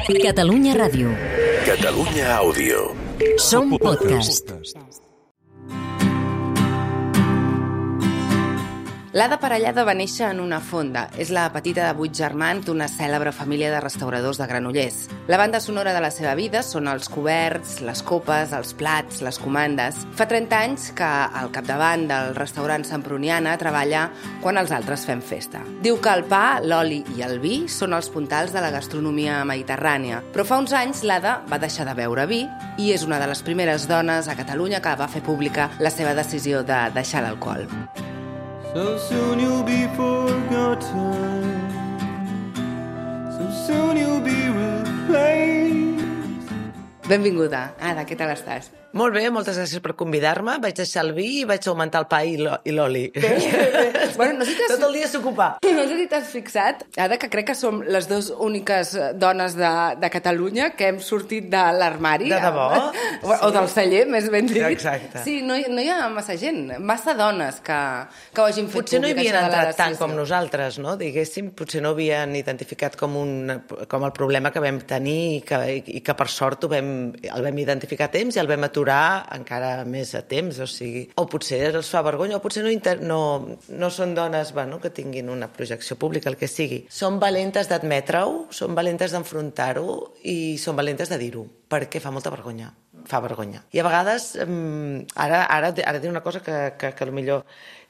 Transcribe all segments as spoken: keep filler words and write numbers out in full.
Catalunya Ràdio. Catalunya Àudio. Som podcast. L'Ada Parellada va néixer en una fonda. És la petita de vuit germans d'una cèlebre família de restauradors de Granollers. La banda sonora de la seva vida són els coberts, les copes, els plats, les comandes. Fa trenta anys que al capdavant del restaurant Semproniana treballa quan els altres fem festa. Diu que el pa, l'oli i el vi són els puntals de la gastronomia mediterrània. Però fa uns anys l'Ada va deixar de beure vi i és una de les primeres dones a Catalunya que va fer pública la seva decisió de deixar l'alcohol. So soon you'll be forgotten. So soon you'll be replaced. Benvinguda. Ada, què tal estàs? Molt bé, moltes gràcies per convidar-me. Vaig deixar el vi i vaig augmentar el pa i l'oli. Bueno, no sé si t'has... Tot el dia s'ocupa. No sé si t'has fixat, Ada, que crec que som les dues úniques dones de, de Catalunya que hem sortit de l'armari. De debò? O, sí. o del celler, més ben dit. Exacte. Sí, no, no hi ha massa gent, massa dones que, que ho hagin fet Potser no hi públic, havien això de la entrat tant decisió. com nosaltres, no? Diguéssim, potser no havien identificat com, un, com el problema que vam tenir i que, i que per sort ho vam, el vam identificar a temps i el vam aturar encara més a temps, o sigui... O potser els fa vergonya, o potser no, inter... no, no són dones bueno, que tinguin una projecció pública, el que sigui. Són valentes d'admetre-ho, són valentes d'enfrontar-ho i són valentes de dir-ho, perquè fa molta vergonya. Fa vergonya. I a vegades, ara, ara, ara diré una cosa que, que, que potser...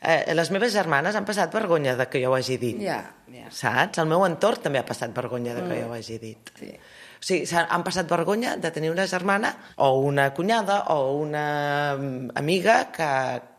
Eh, les meves germanes han passat vergonya de que jo ho hagi dit. Ja, ja. Saps? El meu entorn també ha passat vergonya de que mm. jo ho hagi dit. Sí. O sigui, han passat vergonya de tenir una germana o una cunyada o una amiga que,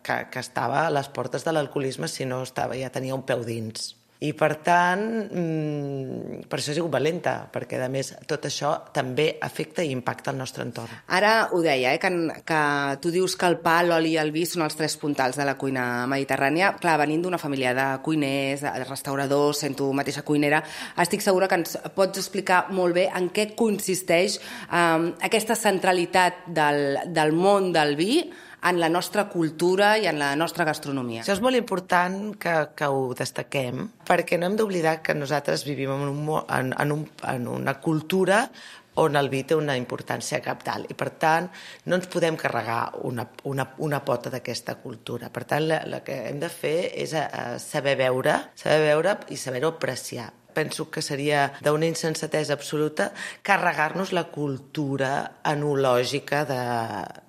que, que estava a les portes de l'alcoholisme si no estava, ja tenia un peu dins. I, per tant, mmm, per això he sigut valenta, perquè, a més, tot això també afecta i impacta el nostre entorn. Ara ho deia, eh, que, que tu dius que el pa, l'oli i el vi són els tres puntals de la cuina mediterrània. Clar, venint d'una família de cuiners, de restauradors, sent tu mateixa cuinera, estic segura que ens pots explicar molt bé en què consisteix eh, aquesta centralitat del, del món del vi en la nostra cultura i en la nostra gastronomia. Això és molt important que, que ho destaquem, perquè no hem d'oblidar que nosaltres vivim en, un, en, en, un, en una cultura on el vi té una importància cabdal i, per tant, no ens podem carregar una, una, una pota d'aquesta cultura. Per tant, el que hem de fer és a, a saber veure, saber veure i saber-ho apreciar. Penso que seria d'una insensatesa absoluta carregar-nos la cultura enològica de,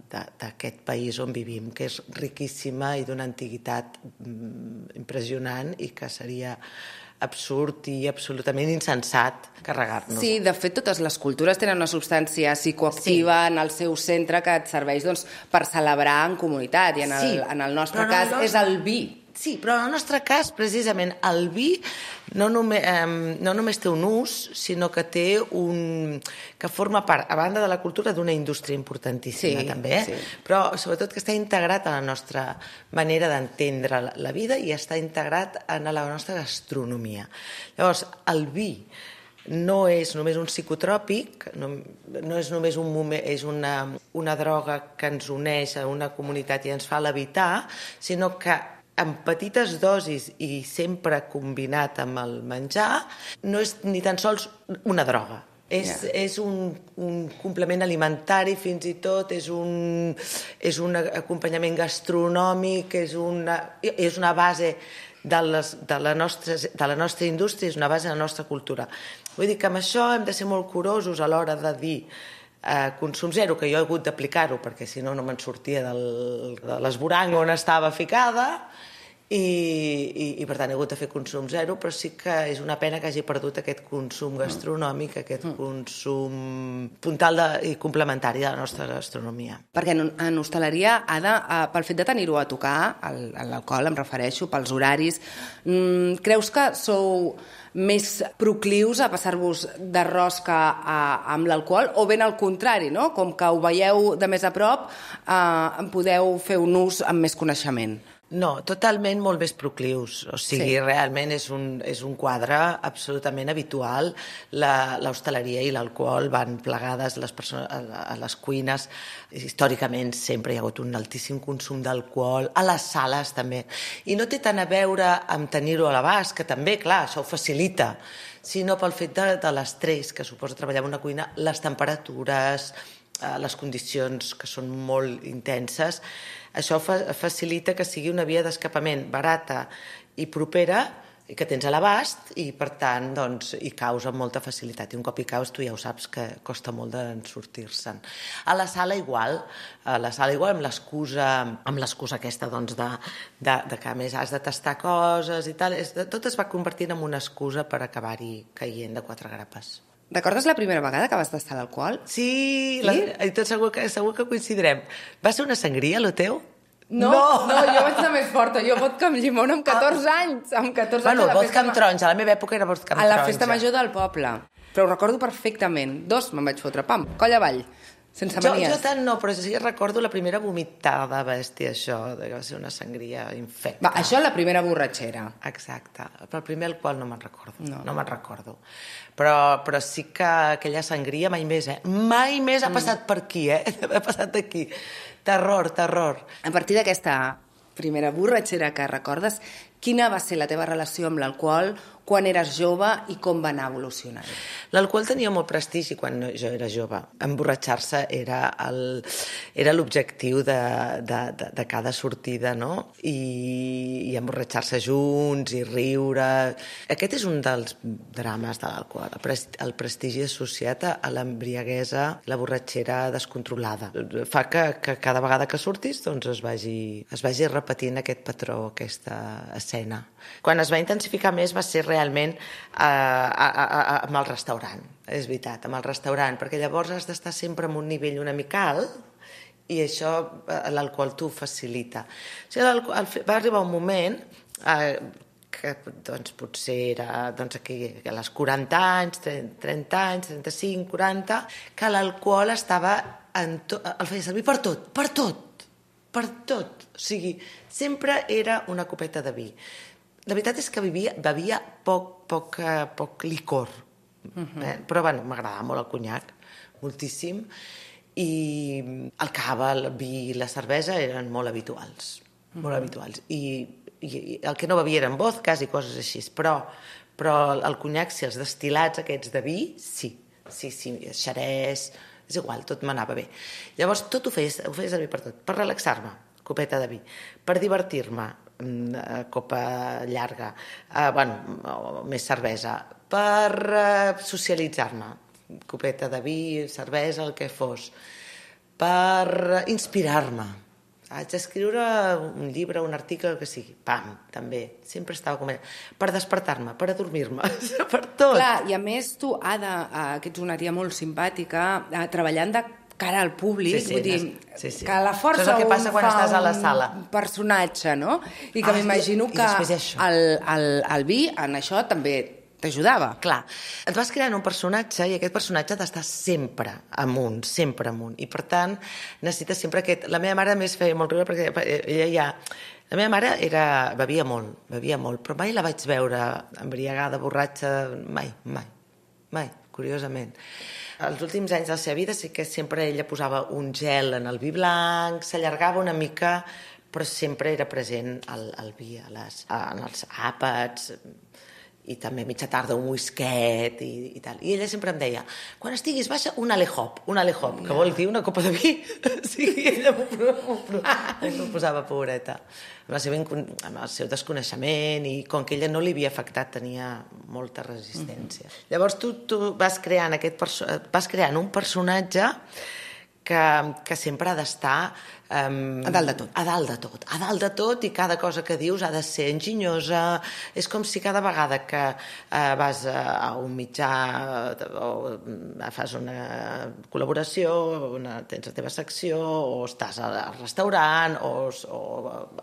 de, d'aquest país on vivim, que és riquíssima i d'una antiguitat mm, impressionant i que seria absurd i absolutament insensat carregar-nos. Sí, de fet, totes les cultures tenen una substància psicoactiva sí. en el seu centre que et serveix doncs, per celebrar en comunitat i en el, sí, en el nostre cas no, no, és el vi. Sí, però en el nostre cas, precisament, el vi no només, eh, no només té un ús, sinó que té un... que forma part, a banda de la cultura, d'una indústria importantíssima, sí, també, sí. Però sobretot que està integrat a la nostra manera d'entendre la vida i està integrat en la nostra gastronomia. Llavors, el vi no és només un psicotròpic, no, no és només un moment, és una, una droga que ens uneix a una comunitat i ens fa levitar, sinó que en petites dosis i sempre combinat amb el menjar, no és ni tan sols una droga. És, yeah. és un, un complement alimentari, fins i tot, és un, és un acompanyament gastronòmic, és una, és una base de, les, de, la nostra, de la nostra indústria, és una base de la nostra cultura. Vull dir que amb això hem de ser molt curosos a l'hora de dir eh, consum zero, que jo he hagut d'aplicar-ho, perquè si no, no me'n sortia del, de l'esborang on estava ficada, I, i, i per tant he hagut de fer consum zero, però sí que és una pena que hagi perdut aquest consum gastronòmic, aquest consum puntal de, i complementari de la nostra gastronomia. Perquè en, en hostaleria, Ada, eh, pel fet de tenir-ho a tocar, l'alcohol em refereixo, pels horaris, mmm, creus que sou més proclius a passar-vos de rosca a, amb l'alcohol, o ben al contrari, no? Com que ho veieu de més a prop, eh, en podeu fer un ús amb més coneixement? No, totalment molt més proclius. O sigui, Sí. realment és un, és un quadre absolutament habitual. La- L'hostaleria i l'alcohol van plegades les persones, a, a les cuines. Històricament sempre hi ha hagut un altíssim consum d'alcohol. A les sales també. I no té tant a veure amb tenir-ho a l'abast, que també, clar, això ho facilita, sinó pel fet de, de l'estrès que suposa treballar en una cuina, les temperatures, eh, les condicions que són molt intenses. Això fa, facilita que sigui una via d'escapament barata i propera, i que tens a l'abast, i per tant doncs, hi caus amb molta facilitat. I un cop hi caus tu ja ho saps que costa molt de sortir-se'n. A la sala igual, a la sala igual amb l'excusa amb l'excusa aquesta doncs, de, de, de que a més has de tastar coses i tal, és, tot es va convertint en una excusa per acabar-hi caient de quatre grapes. Recordes la primera vegada que vas tastar l'alcohol? Sí, Sí? la, i tot segur que, segur que coincidirem. Va ser una sangria, lo teu? No, no, no, jo vaig anar més forta. Jo vodka amb llimona amb catorze anys. Amb catorze Bueno, anys a la vodka festa amb ma- taronja. A la meva època era vodka amb A la taronja. festa major del poble. Però ho recordo perfectament. Dos me'n vaig fotre, pam, coll avall. Sense Jo, manies. jo tant no, però sí que recordo la primera vomitada bèstia, això, de que va ser una sangria infecta. Va, això és la primera borratxera. Exacte. Però el primer alcohol no me'n recordo. No. No, me'n recordo. Però, però sí que aquella sangria mai més, eh? Mai més ha passat per aquí, eh? Ha passat aquí. Terror, terror. A partir d'aquesta primera borratxera que recordes, quina va ser la teva relació amb l'alcohol quan eres jove i com va anar evolucionant? L'alcohol tenia molt prestigi quan jo era jove. Emborratxar-se era el- era l'objectiu de, de, de, de cada sortida, no? I, i emborratxar-se junts i riure. Aquest és un dels drames de l'alcohol, el, pres, el prestigi associat a l'embriaguesa, la borratxera descontrolada. Fa que, que cada vegada que surtis doncs es vagi, es vagi repetint aquest patró, aquesta escena. Quan es va intensificar més va ser realment eh, a, a, a, amb el restaurant, és veritat, amb el restaurant, perquè llavors has d'estar sempre en un nivell una mica alt i això eh, l'alcohol t'ho facilita. O sigui, l'alcohol, va arribar un moment eh, que doncs, potser era doncs, aquí, a les quaranta anys, trenta anys, trenta-cinc, quaranta, que l'alcohol estava en to... el feia servir per tot, per tot, per tot. O sigui, sempre era una copeta de vi. La veritat és que bevia, bevia poc, poc, eh, poc licor, uh-huh. eh? Però bueno, m'agradava molt el conyac, moltíssim, i el cava, el vi i la cervesa eren molt habituals, uh-huh. molt habituals. I, i, I el que no bevia eren vodkas i coses així, però, però el conyac, sí, els destil·lats aquests de vi, sí, sí, sí, xerès, és igual, tot m'anava bé. Llavors tot ho feia, ho feia servir per tot, per relaxar-me, copeta de vi, per divertir-me, copa llarga, eh, bueno, més cervesa, per eh, socialitzar-me, copeta de vi, cervesa, el que fos, per inspirar-me. Haig d'escriure un llibre, un article, el que sigui. Pam, també. Sempre estava com... Per despertar-me, per adormir-me, per tot. Clar, i a més tu, Ada, eh, que ets una tia molt simpàtica, eh, treballant de cara al públic, Sí, sí, vull dir, sí, sí. que a la força Això és el que passa un quan fa estàs a la un sala. personatge, no? I que Ah, m'imagino i que després això. el, el, el vi en això també t'ajudava. Clar, et vas creant un personatge i aquest personatge ha d'estar sempre amunt, sempre amunt. I per tant, necessites sempre aquest... La meva mare més feia molt riure perquè ella ja... La meva mare era... bevia molt, bevia molt, però mai la vaig veure embriagada, borratxa, mai, mai, mai, curiosament. Els últims anys de la seva vida sí que sempre ella posava un gel en el vi blanc, s'allargava una mica, però sempre era present el, el vi a les, en els àpats, i també a mitja tarda un whisket i, i tal. I ella sempre em deia, quan estiguis baixa, un alehop, un alehop, que vol dir una copa de vi. Sí, ella m'ho, m'ho, m'ho posava, pobreta. Amb el, seu, amb el seu desconeixement i com que ella no li havia afectat, tenia molta resistència. Mm-hmm. Llavors tu, tu vas, creant aquest perso- vas creant un personatge que, que sempre ha d'estar Um, a dalt de tot. A dalt de tot. A dalt de tot i cada cosa que dius ha de ser enginyosa. És com si cada vegada que uh, vas a, a un mitjà o uh, fas una col·laboració, una, tens la teva secció o estàs al restaurant o, o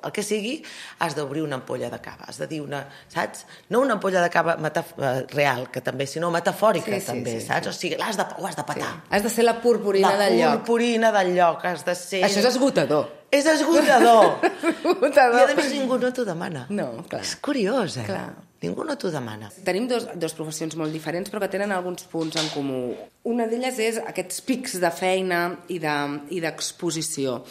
el que sigui, has d'obrir una ampolla de cava. Has de dir una, saps? No una ampolla de cava metaf- real, que també, sinó metafòrica, Sí, sí, també, sí, saps? sí. O sigui, l'has de, ho has de petar. Has de ser la purpurina La del lloc. purpurina del lloc, has de ser... Això és esgotar esgotador. És esgotador. Esgotador. I a més ningú no t'ho demana. No, clar. És curiós, eh? Clar. Ningú no t'ho demana. Tenim dos, dos professions molt diferents, però que tenen alguns punts en comú. Una d'elles és aquests pics de feina i de, i d'exposició.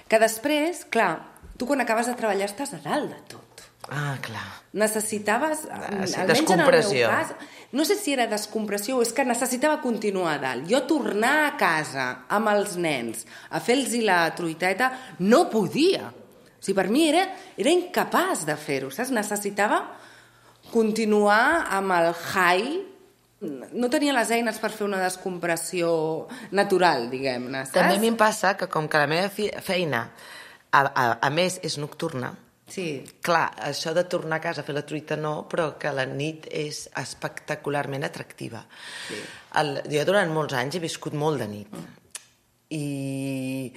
Que després, clar, tu quan acabes de treballar estàs a dalt de tot. Ah, clar. Necessitaves, sí, almenys en el meu descompressió. cas, no sé si era descompressió o és que necessitava continuar a dalt. Jo tornar a casa amb els nens a fer-los la truiteta no podia. O sigui, per mi era, era incapaç de fer-ho, saps? Necessitava continuar amb el high. No tenia les eines per fer una descompressió natural, diguem-ne, saps? També a mi em passa que com que la meva fi- feina, a, a, a més, és nocturna, Sí. clar, això de tornar a casa a fer la truita no, però que la nit és espectacularment atractiva. Sí. El, jo durant molts anys he viscut molt de nit. Mm. I,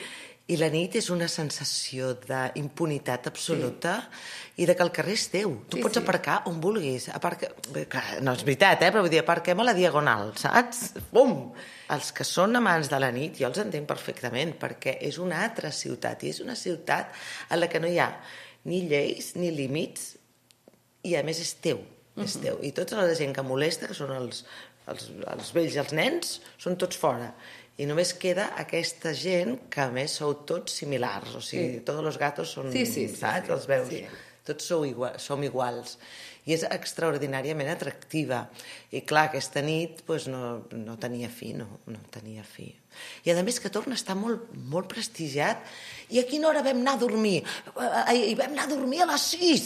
I la nit és una sensació d'impunitat absoluta sí. i de que el carrer és teu. Tu Sí, pots sí. aparcar on vulguis. Aparca... Clar, no és veritat, eh? Però vull dir, aparquem a la Diagonal, saps? Bum! Els que són amants de la nit, jo els entenc perfectament, perquè és una altra ciutat, i és una ciutat en la que no hi ha ni lleis ni límits, i a més és teu, és uh-huh. teu. I tota la gent que molesta, que són els, els, els vells i els nens, són tots fora. I només queda aquesta gent que a més sou tots similars, o sigui, sí. tots els gatos són, sí, sí, sí, saps? sí, Els veus. sí. Tots sou igual, som iguals. I és extraordinàriament atractiva. I clar, aquesta nit pues, no, no tenia fi, no, no tenia fi. I a més que torna a estar molt, molt prestigiat. I a quina hora vam anar a dormir? I vam anar a dormir a les sis!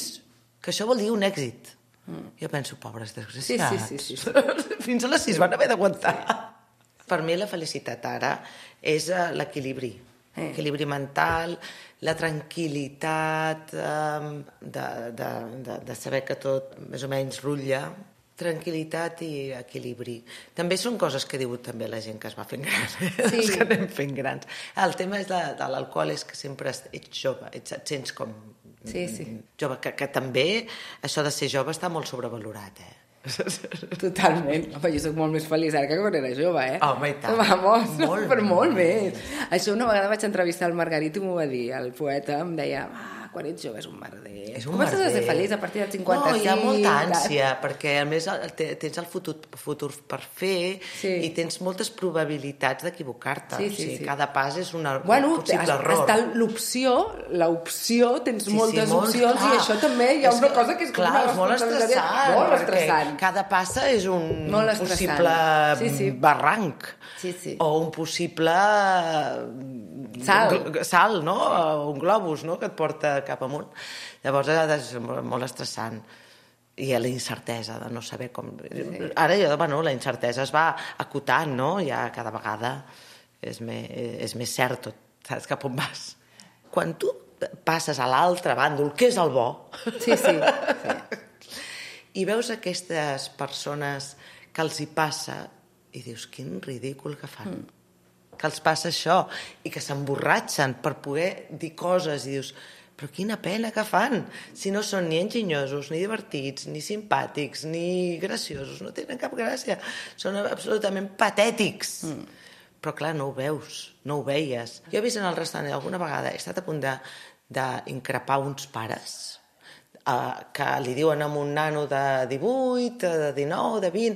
Que això vol dir un èxit. Mm. Jo penso, pobres desgraciats. Sí, sí, sí, sí, sí. Fins a les sis van haver d'aguantar. Sí. Per mi la felicitat ara és l'equilibri. Eh. Equilibri mental, la tranquil·litat, eh, de, de, de, de saber que tot més o menys rutlla, tranquil·litat i equilibri. També són coses que diu també la gent que es va fent gran, eh? Sí. Els que anem fent grans. El tema és de, de l'alcohol, és que sempre ets jove, ets, et sents com sí, sí. jove, que, que també això de ser jove està molt sobrevalorat, eh? Totalment. Home, jo soc molt més feliç ara que quan era jove, eh? Home, i tant. Vamos, Molt, per molt molt més. Això una vegada vaig entrevistar el Margarit i m'ho va dir. El poeta em deia, ah, quan ets jove és un merder. És un Comences merder. a ser feliç a partir dels cinquanta-cinc. No, hi ha molta ànsia, perquè a més te- tens el futur, futur per fer Sí. i tens moltes probabilitats d'equivocar-te. Sí, O sí, sigui, sí. cada pas és una, Bueno, un possible has- error. està l'opció, l'opció, tens Sí, sí, moltes molt, opcions clar. i això també hi ha És una que, cosa que és com clar, una és molt responsabilitat estressant, molt perquè estressant. cada passa és un Molt estressant. possible Sí, sí. barranc. Sí, sí. O un possible Salt. gl- salt, no? O un globus, no?, que et porta cap amunt. Llavors és molt estressant. I la incertesa de no saber com... Sí. Ara ja, bueno, la incertesa es va acotant, no? Ja cada vegada és més, és més cert tot, saps cap on vas. Quan tu passes a l'altre bàndol, que és el bo, Sí, sí. sí. i veus aquestes persones que els hi passa i dius, quin ridícul que fan. Mm. Que els passa això i que s'emborratxen per poder dir coses i dius, però quina pena que fan, si no són ni enginyosos, ni divertits, ni simpàtics, ni graciosos, no tenen cap gràcia, són absolutament patètics. Mm. Però clar, no ho veus, no ho veies. Jo he vist en el restaurant alguna vegada, he estat a punt de, d'increpar uns pares eh, que li diuen a un nano de divuit, de dinou, de vint,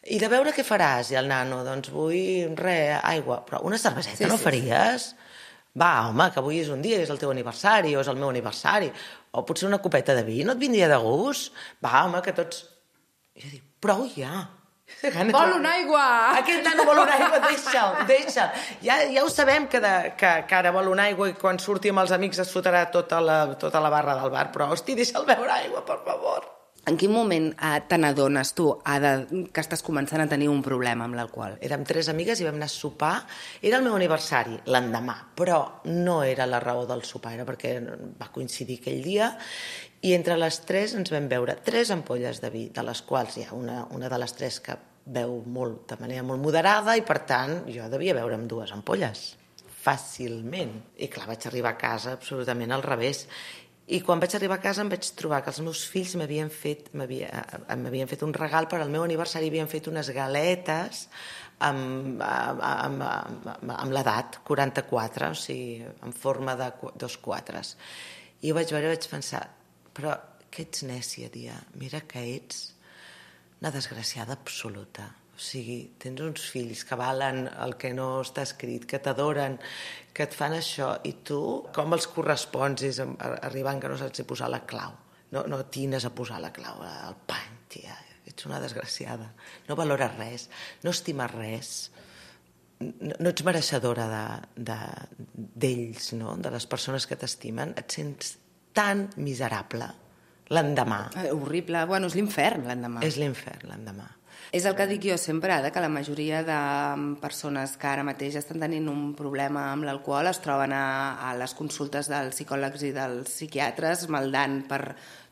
i de veure què faràs, i el nano, doncs vull res, aigua, però una cerveseta Sí, no sí, faries? Va, home, que avui és un dia, és el teu aniversari, o és el meu aniversari, o potser una copeta de vi, no et vindria de gust? Va, home, que tots... I jo dic, prou ja. Vol una aigua! Aquest nano vol una aigua, deixa'l, deixa'l. Ja, ja ho sabem que, de, que, que ara vol una aigua i quan surti amb els amics es fotrà tota la, tota la barra del bar, però, hosti, deixa'l beure aigua, per favor. En quin moment eh, te n'adones tu ha de, que estàs començant a tenir un problema amb l'alcohol? Érem tres amigues i vam anar a sopar. Era el meu aniversari, l'endemà, però no era la raó del sopar, era perquè va coincidir aquell dia, i entre les tres ens vam beure tres ampolles de vi, de les quals hi ha una, una de les tres que beu molt, de manera molt moderada, i per tant jo devia beure amb dues ampolles, fàcilment. I clar, vaig arribar a casa absolutament al revés. I quan vaig arribar a casa em vaig trobar que els meus fills m'havien fet, m'havien fet un regal per al meu aniversari, havien fet unes galetes amb, amb, amb, amb l'edat, quaranta-quatre, o sigui, en forma de dos quatres. I ho vaig veure i vaig pensar, però que ets nècia, tia, mira que ets una desgraciada absoluta. O sigui, tens uns fills que valen el que no està escrit, que t'adoren, que et fan això, i tu com els correspons és arribant que no saps si posar la clau. No, no tines a posar la clau al pany, tia. Ets una desgraciada. No valores res, no estimes res. No, no ets mereixedora d'ells, de, de, no? De les persones que t'estimen. Et sents tan miserable l'endemà. Eh, horrible. Bueno, és l'infern l'endemà. És l'infern l'endemà. És el que dic jo sempre, que la majoria de persones que ara mateix estan tenint un problema amb l'alcohol es troben a, a les consultes dels psicòlegs i dels psiquiatres maldant per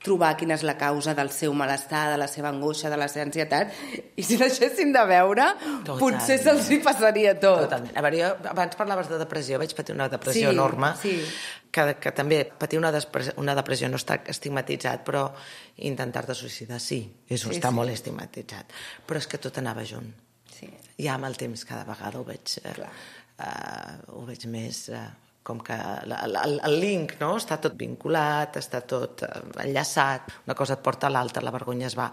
trobar quina és la causa del seu malestar, de la seva angoixa, de la seva ansietat, i si deixessin de veure, Total. potser se'ls hi passaria tot. Totalment. A veure, jo abans parlaves de depressió, vaig patir una depressió sí, enorme, sí. Que, que també patir una, depressió, una depressió no està estigmatitzat, però intentar-te suïcidar sí, és, sí està sí. molt estigmatitzat. Però és que tot anava junt. Sí. Ja amb el temps cada vegada ho veig, eh, uh, ho veig més... Uh, com que el, el link, no? Està tot vinculat, està tot enllaçat, una cosa et porta a l'altra, la vergonya es va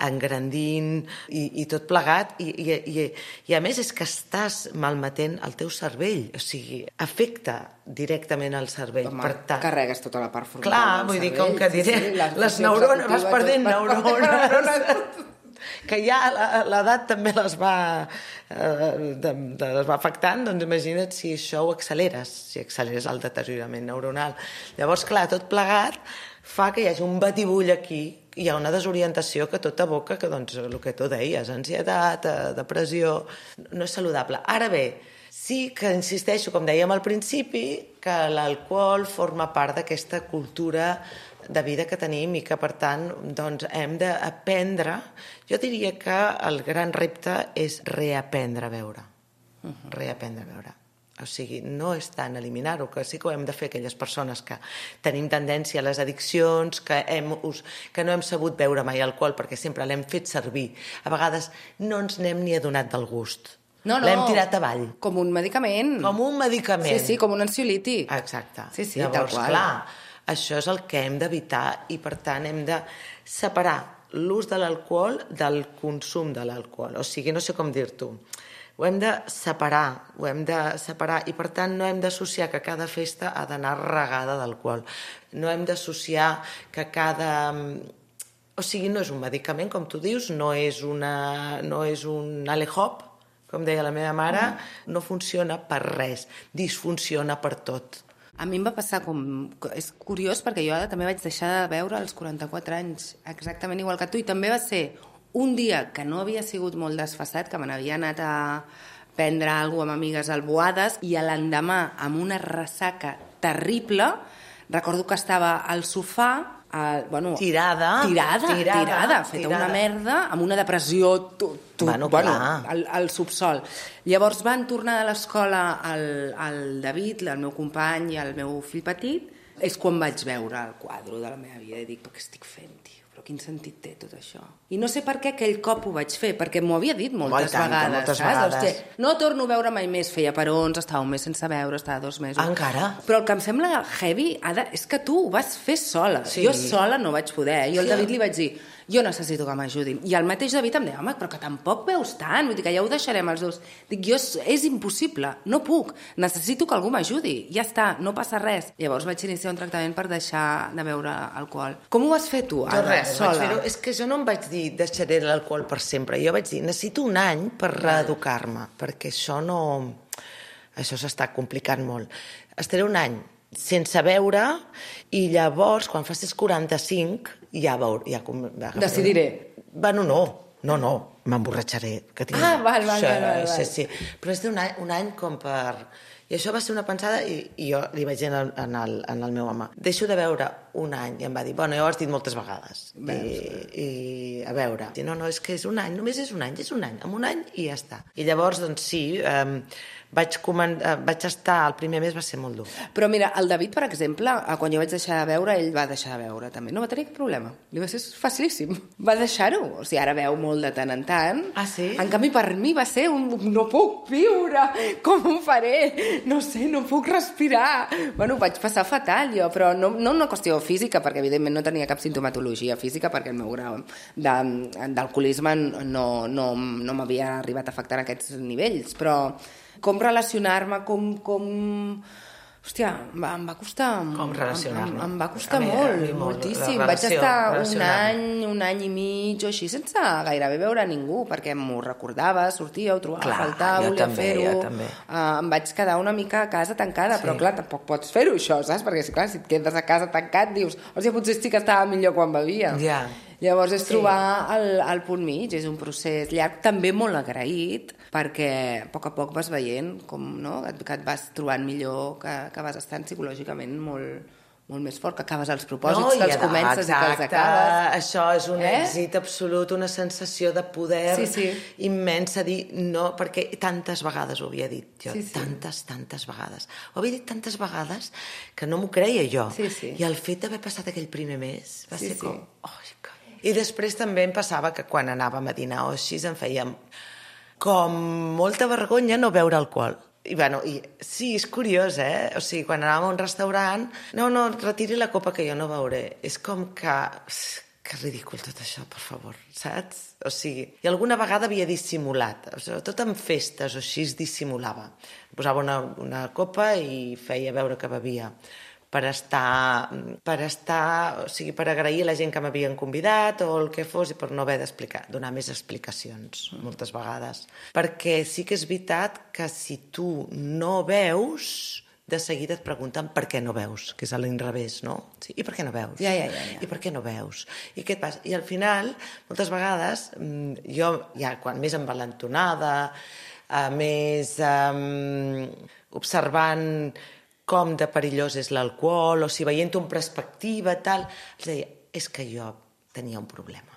engrandint i, i tot plegat, i, i, i, i a més és que estàs malmetent el teu cervell, o sigui, afecta directament al cervell. Home, per tant, carregues tota la part frontal. Clar, vull dir, com que diré, sí, sí, les, les neurones, vas perdent neurones... que ja l'edat també les va, eh, de, de, les va afectant, doncs imagina't si això ho acceleres, si acceleres el deteriorament neuronal. Llavors, clar, tot plegat fa que hi hagi un batibull aquí, hi ha una desorientació que tot aboca, que doncs el que tu deies, ansietat, depressió, no és saludable. Ara bé, sí que insisteixo, com dèiem al principi, que l'alcohol forma part d'aquesta cultura de vida que tenim i que, per tant, doncs, hem d'aprendre. Jo diria que el gran repte és reaprendre a veure. Uh-huh. Reaprendre a veure. O sigui, no és tant eliminar-ho, que sí que ho hem de fer aquelles persones que tenim tendència a les addiccions, que, hem, que no hem sabut beure mai alcohol perquè sempre l'hem fet servir. A vegades no ens n'hem ni adonat del gust. No, no. L'hem tirat avall. Com un medicament. Com un medicament. Sí, sí, com un ansiolític. Exacte. Sí, sí, llavors, tal qual. Clar, això és el que hem d'evitar i, per tant, hem de separar l'ús de l'alcohol del consum de l'alcohol. O sigui, no sé com dir-t'ho. Ho hem de separar, ho hem de separar i, per tant, no hem d'associar que cada festa ha d'anar regada d'alcohol. No hem d'associar que cada... O sigui, no és un medicament, com tu dius, no és, una... no és un alehop, com deia la meva mare, no funciona per res, disfunciona per tot. A mi em va passar com... És curiós perquè jo també vaig deixar de beure als quaranta-quatre anys, exactament igual que tu, i també va ser un dia que no havia sigut molt desfasat, que me n'havia anat a prendre alguna cosa amb amigues alboades, i a l'endemà, amb una ressaca terrible, recordo que estava al sofà, Uh, bueno, tirada, tirada, tirada, tirada, feta tirada. Una merda, amb una depressió tu, tu, bueno, bueno, al, al subsol. Llavors van tornar de l'escola el, el David, el meu company i el meu fill petit, és quan vaig veure el quadre de la meva vida i dic, però què estic fent, tio? Però quin sentit té tot això? I no sé per què aquell cop ho vaig fer, perquè m'ho havia dit moltes tant, vegades, moltes saps? vegades. Hòstia, no torno a veure mai més, feia perons, estava un mes sense veure, estava dos mesos. Encara? Però el que em sembla heavy, Ada, és que tu ho vas fer sola. Sí. Jo sola no vaig poder. Jo al Sí. David li vaig dir, jo necessito que m'ajudin. I el mateix David em deia, home, però que tampoc veus tant, vull dir que ja ho deixarem els dos. Dic, jo, és impossible, no puc, necessito que algú m'ajudi, ja està, no passa res. Llavors vaig iniciar un tractament per deixar de beure alcohol. Com ho vas fer tu, Ada, jo res, sola? Vaig fer-ho. És que jo no em vaig dir deixaré l'alcohol per sempre. Jo vaig dir, necessito un any per reeducar-me, perquè això no... Això s'està complicant molt. Estaré un any sense beure i llavors, quan facis quaranta-cinc, ja veure... Ja, ja, decidiré. Bueno, no, no, no. m'emborratxaré. Que tinc... Ah, val, val, sí, val, val, val. Sí, sí. Però és d'un any, un any com per... I això va ser una pensada i, i jo li vaig dir en el, en, el, en el meu home, deixo de veure un any, i em va dir, bueno, ja ho has dit moltes vegades. I, i a veure, no, no, és que és un any, només és un any, és un any, en un any i ja està. I llavors, doncs sí, eh, vaig, comen... vaig estar, el primer mes va ser molt dur. Però mira, el David, per exemple, quan jo vaig deixar de veure, ell va deixar de veure també. No va tenir cap problema. Li va ser facilíssim. Va deixar-ho. O sigui, ara veu molt de tant en tant. Ah, sí? En canvi, per mi va ser un... No puc viure! Com ho faré? No sé, no puc respirar. Bueno, ho vaig passar fatal, jo, però no, no una qüestió física, perquè evidentment no tenia cap sintomatologia física, perquè el meu grau d'alcoholisme no, no, no m'havia arribat a afectar a aquests nivells, però com relacionar-me, com... com... Hòstia, em va, em va costar... Com relacionar-me? Em, em va costar mi, molt, molt, moltíssim. relació, Vaig estar un any, un any i mig o així, sense gairebé veure a ningú, perquè m'ho recordava, sortia, ho trobava clar, a faltar, volia fer-ho. Uh, em vaig quedar una mica a casa tancada, sí. Però clar, tampoc pots fer-ho, això, saps? Perquè, clar, si et quedes a casa tancat, dius, o sigui, potser sí que estava millor quan bevia. Ja. Yeah. Llavors és trobar el, el punt mig, és un procés llarg, també molt agraït, perquè a poc a poc vas veient com, no? que, et, que et vas trobant millor, que, que vas estant psicològicament molt, molt més fort, que acabes els propòsits, no, que els comences exacte, i que els acabes. Això és un eh? èxit absolut, una sensació de poder sí, sí. immensa, dir no, perquè tantes vegades ho havia dit jo, sí, sí. tantes, tantes vegades. Ho havia dit tantes vegades que no m'ho creia jo. Sí, sí. I el fet d'haver passat aquell primer mes va sí, ser sí. com... Oh, que... I després també em passava que quan anàvem a dinar o així em feia com molta vergonya no beure alcohol. I, bueno, i sí, és curiós, eh? O sigui, quan anàvem a un restaurant, no, no, retiri la copa que jo no beuré. És com que... Que ridícul tot això, per favor, saps? O sigui, i alguna vegada havia dissimulat, sobretot en festes o així es dissimulava. Posava una, una copa i feia veure que bevia. Per estar, per estar, o sigui, per agrair a la gent que m'havien convidat o el que fos i per no haver d'explicar, donar més explicacions moltes vegades. Perquè sí que és veritat que si tu no veus, de seguida et pregunten per què no veus, que és a l'inrevés, no? Sí, i per què no veus? Ja, ja, ja, ja. I per què no veus? I què et passa? I al final, moltes vegades, jo ja quan més envalentonada, més um, observant com de perillós és l'alcohol, o si veient-ho en perspectiva, tal, els deia, és que jo tenia un problema.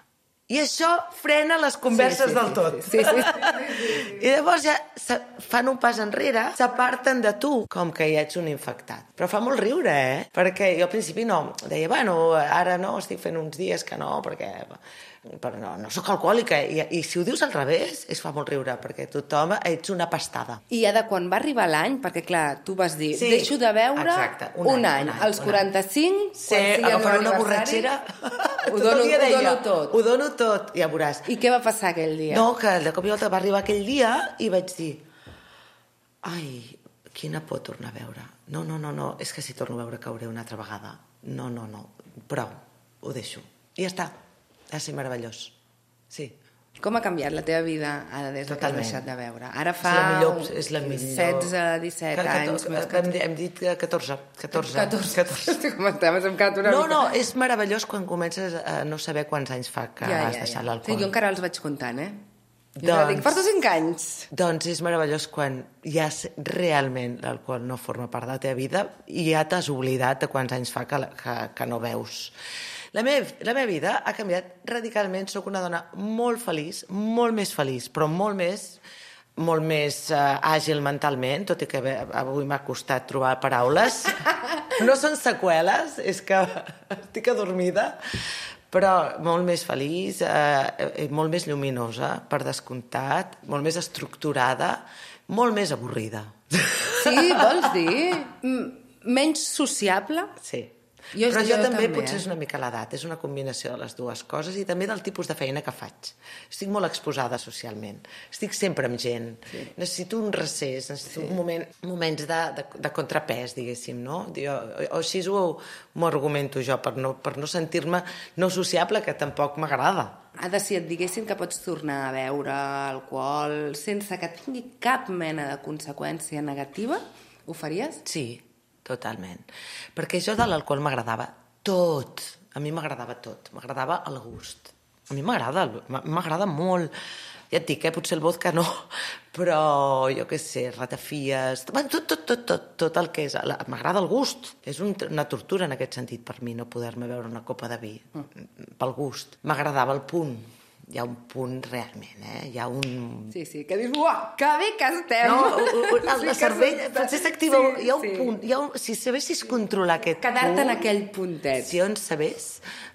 I això frena les converses sí, sí, del tot. Sí, sí, sí, sí, sí, sí. I llavors ja fan un pas enrere, s'aparten de tu, com que ja ets un infectat. Però fa molt riure, eh? Perquè jo al principi no, deia, bueno, ara no, estic fent uns dies que no, perquè... però no, no sóc alcohòlica, I, i si ho dius al revés es fa molt riure, perquè tothom ets una pastada. I ja de quan va arribar l'any, perquè clar, tu vas dir, sí, deixo de beure exacte, un, un, any, any, un any, als quaranta-cinc, sí, agafar una borratxera, ho dono, ho dono tot. Ho dono tot, ja veuràs. I què va passar aquell dia? No, que de cop i volta va arribar aquell dia i vaig dir, ai, quina por tornar a veure. No, no, no, no, és que si torno a veure cauré una altra vegada. No, no, no, prou, ho deixo. I ja està. Ha de ser meravellós, sí. Com ha canviat la teva vida ara des que has deixat de veure? Ara fa és la millor, és la millor. setze, disset anys. Hem, hem dit catorze. catorze. catorze. catorze. Com estaves encat una no, mica. No, és meravellós quan comences a no saber quants anys fa que ja, has ja, deixat ja. l'alcohol. Sí, jo encara els vaig comptant, eh? Jo doncs, dic, porto cinc anys. Doncs és meravellós quan ja realment l'alcohol no forma part de la teva vida i ja t'has oblidat de quants anys fa que, que, que no veus. La meva, la meva vida ha canviat radicalment. Soc una dona molt feliç, molt més feliç, però molt més, molt més uh, àgil mentalment, tot i que avui m'ha costat trobar paraules. No són seqüeles, és que estic adormida, però molt més feliç, eh, molt més lluminosa, per descomptat, molt més estructurada, molt més avorrida. Sí, vols dir? Menys sociable? Sí. Jo, però jo, jo també, també potser eh? és una mica l'edat, és una combinació de les dues coses i també del tipus de feina que faig. Estic molt exposada socialment, estic sempre amb gent, sí. Necessito un recés, necessito sí. un moment, moments de, de, de contrapès, diguéssim, no? Jo, o així ho m'ho argumento jo, per no, per no sentir-me no sociable, que tampoc m'agrada. Ada, si et diguessin que pots tornar a beure alcohol sense que tingui cap mena de conseqüència negativa, ho faries? Sí. Totalment. Perquè jo de l'alcohol m'agradava tot. A mi m'agradava tot. M'agradava el gust. A mi m'agrada, m'agrada molt Ja et dic, eh? Potser el vodka no, però jo què sé, ratafies... Bueno, tot, tot, tot, tot, tot el que és... La... M'agrada el gust. És un, una tortura en aquest sentit per mi no poder-me beure una copa de vi. Mm. Pel gust. M'agradava el punt. Hi ha un punt realment, eh? Hi ha un... Sí, sí, que dius, uah, que bé que estem! No, el sí, cervell, Francesc activa, sí, hi ha un sí. punt, hi ha un, si sabessis controlar aquest Quedar-te punt... en aquell puntet. Si on sabés,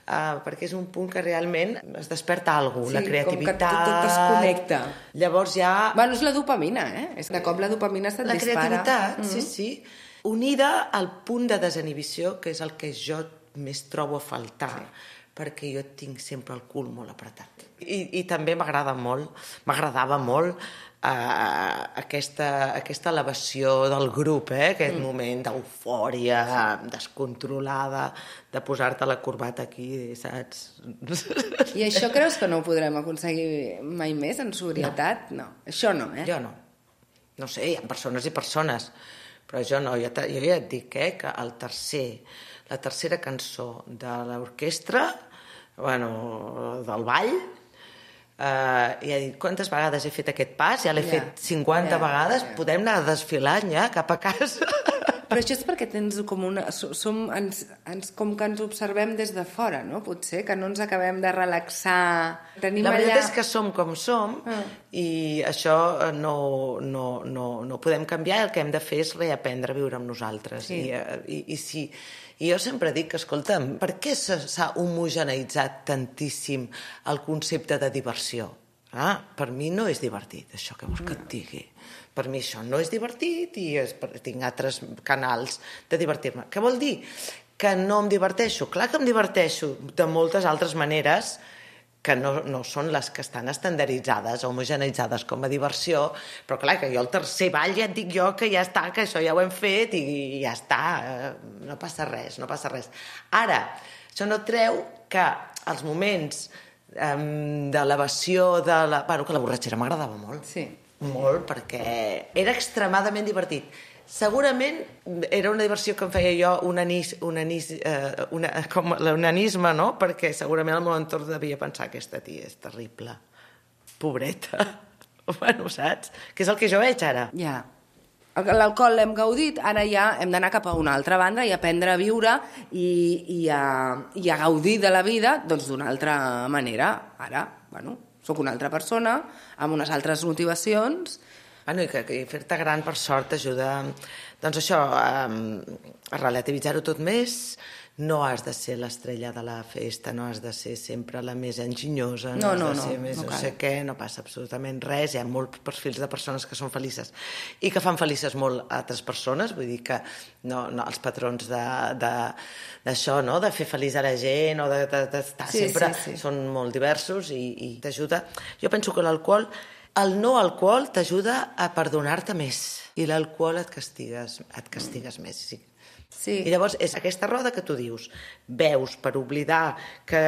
uh, perquè és un punt que realment es desperta alguna cosa, Sí, la creativitat... com que tot es connecta. Llavors ja... Bueno, és la dopamina, eh? És de cop la dopamina se't la dispara. La creativitat, mm-hmm. sí, sí. Unida al punt de desinhibició, que és el que jo més trobo a faltar, sí. perquè jo tinc sempre el cul molt apretat. I, i també m'agrada molt, m'agradava molt uh, aquesta, aquesta elevació del grup, eh? Aquest mm. moment d'eufòria, descontrolada, de posar-te la corbata aquí, saps? I això creus que no ho podrem aconseguir mai més, en sobrietat? No. no. Això no, eh? Jo no. No sé, hi ha persones i persones, però jo no. Jo, jo ja et dic, eh, que el tercer... la tercera cançó de l'orquestra, bueno, del ball, eh, i ha dit, quantes vegades he fet aquest pas? Ja l'he yeah. fet cinquanta yeah. vegades, yeah. podem anar desfilant ja cap a casa. Però això és perquè tens com una... Som, ens, ens, com que ens observem des de fora, no? Potser, que no ens acabem de relaxar... Tenim la veritat allà... és que som com som ah. i això no, no, no, no podem canviar, el que hem de fer és reaprendre a viure amb nosaltres. Sí. I, i, i si... I jo sempre dic que, escolta'm, per què s'ha homogeneïtzat tantíssim el concepte de diversió? Ah, per mi no és divertit, això que vols que et digui. Per mi això no és divertit i és, tinc altres canals de divertir-me. Què vol dir? Que no em diverteixo. Clar que em diverteixo de moltes altres maneres que no, no són les que estan estandarditzades o homogeneitzades com a diversió, però clar, que jo el tercer ball ja et dic jo que ja està, que això ja ho hem fet i ja està, no passa res, no passa res. Ara, això no treu que els moments um, d'elevació de la... Bueno, que la borratxera m'agradava molt. Sí. Molt, perquè era extremadament divertit. Segurament era una diversió que em feia jo un anís, un anís, eh, una, com l'onanisme, no? Perquè segurament el meu entorn devia pensar aquesta tia és terrible, pobreta. Bueno, saps? Que és el que jo veig ara. Ja. L'alcohol l'hem gaudit, ara ja hem d'anar cap a una altra banda i aprendre a viure i, i, a, i a gaudir de la vida doncs d'una altra manera. Ara, bueno, sóc una altra persona, amb unes altres motivacions. Bueno, i que, que fer-te gran, per sort, t'ajuda, doncs això, a, a relativitzar-ho tot més. No has de ser l'estrella de la festa, no has de ser sempre la més enginyosa, no, no has de no, ser no, més no, no sé què, no passa absolutament res. Hi ha molts perfils de persones que són felices i que fan felices molt a altres persones, vull dir que no, no, els patrons d'això, no? De fer feliç a la gent o d'estar de, de, de sí, sempre, sí, sí. són molt diversos i, i t'ajuda. Jo penso que l'alcohol El no alcohol t'ajuda a perdonar-te més i l'alcohol et castigues, et castigues més. Sí. Sí. I llavors és aquesta roda que tu dius, veus per oblidar que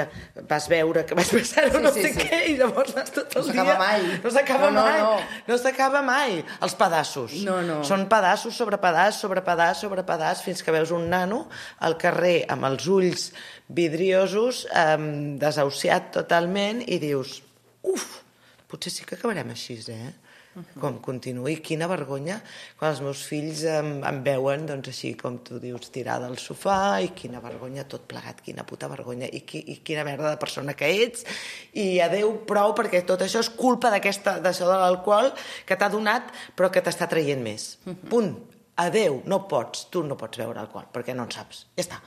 vas veure que vas passar o sí, no sí, sé sí. què, i llavors vas tot el no dia... No s'acaba mai. No s'acaba no, mai. No, no. no s'acaba mai. Els pedaços. No, no. Són pedaços sobre pedaç, sobre pedaç, sobre pedaç, fins que veus un nano al carrer amb els ulls vidriosos, eh, desahuciat totalment, i dius, uf, potser sí que acabarem així, eh? Uh-huh. Com continuï. Quina vergonya quan els meus fills em, em veuen, doncs així com tu dius, tirada al sofà, i quina vergonya tot plegat, quina puta vergonya, i, qui, i quina merda de persona que ets, i adeu, prou, perquè tot això és culpa d'aquesta, d'això de l'alcohol que t'ha donat, però que t'està traient més. Uh-huh. Punt. Adeu, no pots, tu no pots beure alcohol, perquè no en saps. Ja està.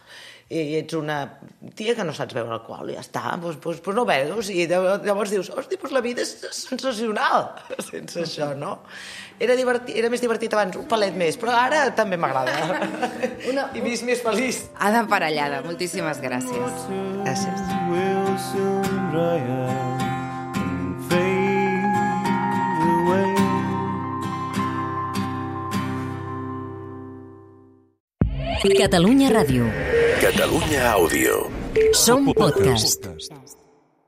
I ets una tia que no saps beure alcohol, ja està, doncs, doncs, doncs no beus, i llavors dius, hosti, doncs la vida és sensacional sense això, no? Era, divertit, era més divertit abans, un palet més, però ara també m'agrada. Una... I vist més feliç. Ada Parellada, moltíssimes gràcies. Gràcies. Catalunya Ràdio. Catalunya Àudio. Som podcast.